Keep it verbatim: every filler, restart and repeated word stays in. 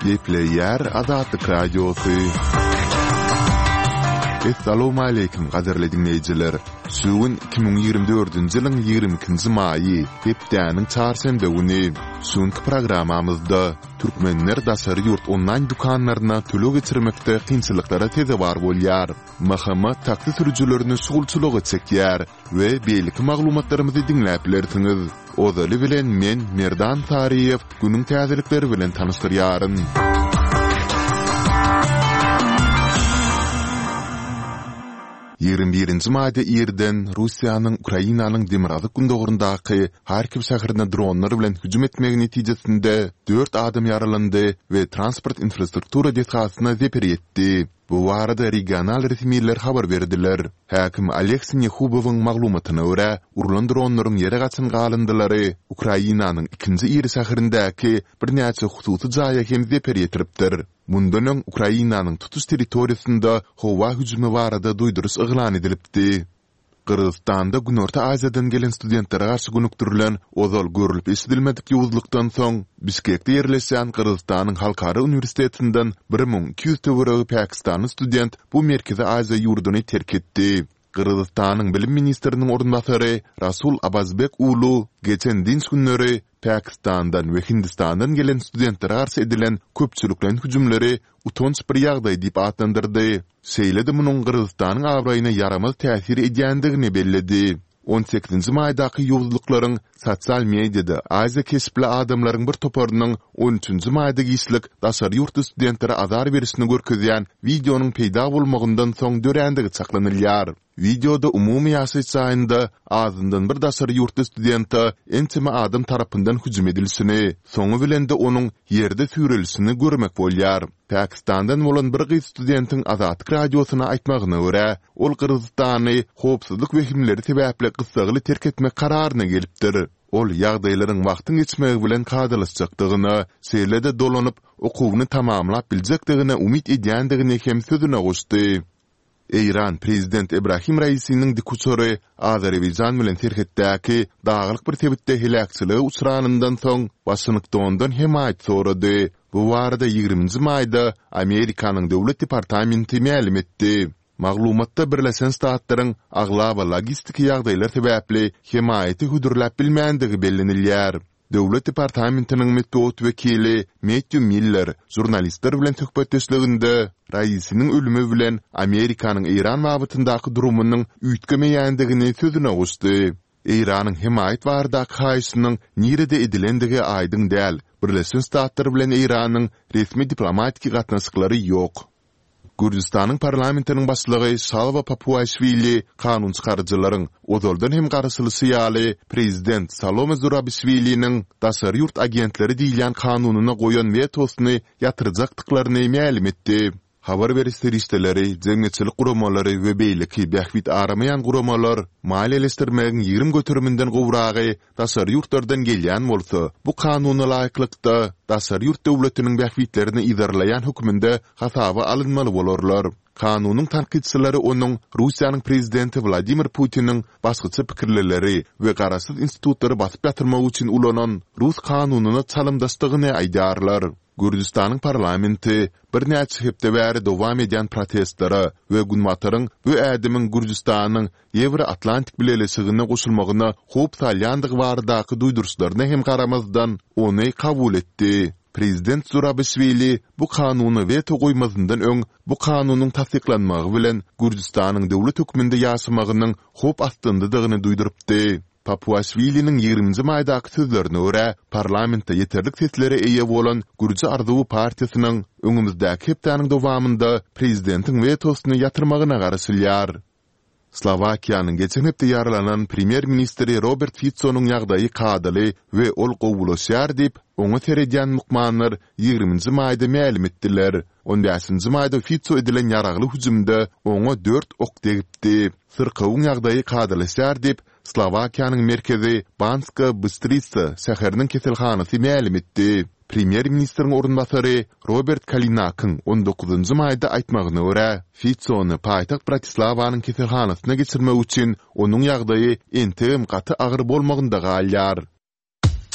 Gepleýär Azatlyk Radiosy. Essalawmaleýkim gadyrly diňleýjiler! Şu gün iki müň ýigrimi dördünji ýylyň ýigrimi ikinji maýy, hepdäniň çarşenbe güni. Şu günki programmamyzda türkmenler daşary ýurt onlaýn dükanlaryna töleg geçirmekde kynçylyklara sezewar bolýar. M H M taksi sürüjilerini şugulçylyga çekýär we beýleki maglumatlarymyzy diňläp bilersiňiz. Ozaly bilen men, Merdan Saryýew, günüň täzelikleri bilen tanyşdyrýaryn. Ýigrimi birinji maýda irden Russiýanyň Ukrainanyň demirgazyk-gündogaryndaky Harkiw şäherine dronlar bilen hüjüm etmegi netijesinde dört adam ýaralandy we transport infrastruktura desgasyna zeper ýetdi. Bu barada regional resmiler habar berdiler. Häkim Oleg Sinehubowyň maglumatyna görä, urlan dronlaryň ýere gaçan galyndylary Ukrainanyň ikinji iri şäherindäki birnäçe hususy jaýa hem zeper ýetiripdir. Mundan öň Ukrainanyň tutuş territoriýasynda howa hüjümi barada duýduryş yglan edilipdi. Gyrgyzystanda Günorta Aziýadan gelen studentlere garşy gönükdirilen ozal görlüp-eşidilmedik ýowuzlykdan soň, Bişkekde ýerleşýän Gyrgyzystanyň Halkara uniwersitetinden bir müň iki ýüz töweregi pakistanly student bu Merkezi Aziýa ýurduny terk etdi. Gyrgyzystanyň bilim ministriniň orunbasary Rasul Abazbek Ulu geçen dynç günleri Pakistandan we Hindistandan gelen studentlere garşy edilen köpçülikleýin hüjümleri utanç bir ýagdaý diýip atlandyrdy. Şeýle-de munuň Gyrgyzystanyň abraýyna ýaramaz täsir edýändigini belledi. On sekizinji maýdaky ýowuzlyklaryň sosial mediada aziýa keşpli adamlaryň bir toparynyň on üçünji maýda giçlik daşary ýurtly studentlere azar berişini görkezýän wideonyň peýda bolmagyndan soň dörändigi çaklanylýar. Wideoda umumy ýaşaýyş jaýynda azyndan bir daşary ýurtly studente ençeme adam tarapyndan hüjüm edilişini, soňy bilen-de onuň ýerde süýrelişini görmek bolýar. Pakistandan bolan bir gyz studentiň Azatlyk Radiosyna aýtmagyna görä, ol Gyrgyzystany howpsuzlyk wehimleri sebäpli gyssagly terk etmek kararyna gelipdir. Ol ýagdaýlaryň wagtyň geçmegi bilen kadalaşjakdygyna, şeýle-de dolanyp, okuwyny tamamlap biljekdigine umyt edýändigini hem sözüne goşdy. Eýran prezident Ebrahim Raisiniň dikuçary Azerbaýjan bilen serhetdäki daglyk bir sebitde heläkçilige uçranyndan soň, Waşingtondan hemaýat sorady. Bu barada ýigriminji maýda Amerikanyň Döwlet departamenti mälim etdi. Maglumatda Birleşen Ştatlaryň aglaba logistiki ýagdaýlar sebäpli hemaýaty hödürläp bilmändigi bellenilýär. Döwlet departamentiniň metbugat wekili Mettýu Miller žurnalistler bilen söhbetdeşliginde Raisiniň ölümi bilen Amerikanyň Eýran babatyndaky durumynyň üýtgemeýändigini sözüne goşdy. Eýranyň hemaýat baradaky haýyşynyň nirede edilendigi aýdyň däl, Birleşen Ştatlar bilen Eýranyň resmi diplomatiki gatnaşyklary ýok. Gürjüstanyň parlamentiniň başlygy Şalwa Papuaşwili kanunçykaryjylaryň, ozaldan hem garaşylyşy ýaly, prezident Salome Zurabişwiliniň daşary ýurt agentleri diýilýän kanunyna goýan wetosyny ýatyrjakdyklaryny mälim etdi. Habar beriş serişdeleri, jemgyýetçilik guramalary we beýleki bähbit aramaýan guramalar maliýeleşdirmegiň ýigrimi göteriminden gowragy daşary ýurtlardan gelýän bolsa, bu kanuna laýyklykda, daşary ýurt döwletiniň bähbitlerini yzarlaýan hökmünde hasaba alynmaly bolarlar. Kanunyň tankytçylary onuň Russiýanyň prezidenti Wladimir Putiniň başgaça pikirlileri we garaşsyz institutlary basyp ýatyrmak üçin ulanan rus kanunyna çalymdaşdygyny aýdýarlar. Gürjüstanyň parlamenti birnäçe hepde bäri dowam edýän protestlere we Günbataryň bu ädimiň Gürjüstanyň Ýewroatlantik Bileleşigine goşulmagyna howp salýandygy baradaky duýduryşlaryna hem garamazdan, ony kabul etdi. Prezident Zurabişwili bu kanuna weto goýmazyndan öň bu kanunyň tassyklanmagy bilen Gürjüstanyň döwlet hökmünde ýaşamagynyň howp astyndadygyny duýdurypdy. Papuaşwiliniň ýigriminji maýdaky sözlerine görä, parlamentde ýeterlik seslere eýe bolan Gürji arzuwy partiýasynyň öňümizdäki hepdäniň dowamynda prezidentiň wetosyny ýatyrmagyna garaşylýar. Slowakiýanyň geçen hepde ýaralanan premýer-ministri Robert Fitsonyň ýagdaýy kadaly we ol gowulaşýar diýip, oňa seredýän lukmanlar ýigriminji maýda mälim etdiler. On bäşinji maýda Fitso edilen ýaragly hüjümde oňa dört ok degipdi. Syrkawyň ýagdaýy kadalaşýar diýip, Slowakiýanyň merkezi Banska Bystrisa şäheriniň keselhanasy mälim etdi. Premýer-ministriň orunbasary Robert Kalinakyň on dokuzynjy maýda aýtmagyna görä, Fitsony paýtagt Bratislawanyň keselhanasyna geçirmek üçin onuň ýagdaýy entegem gaty agyr bolmagynda galýar.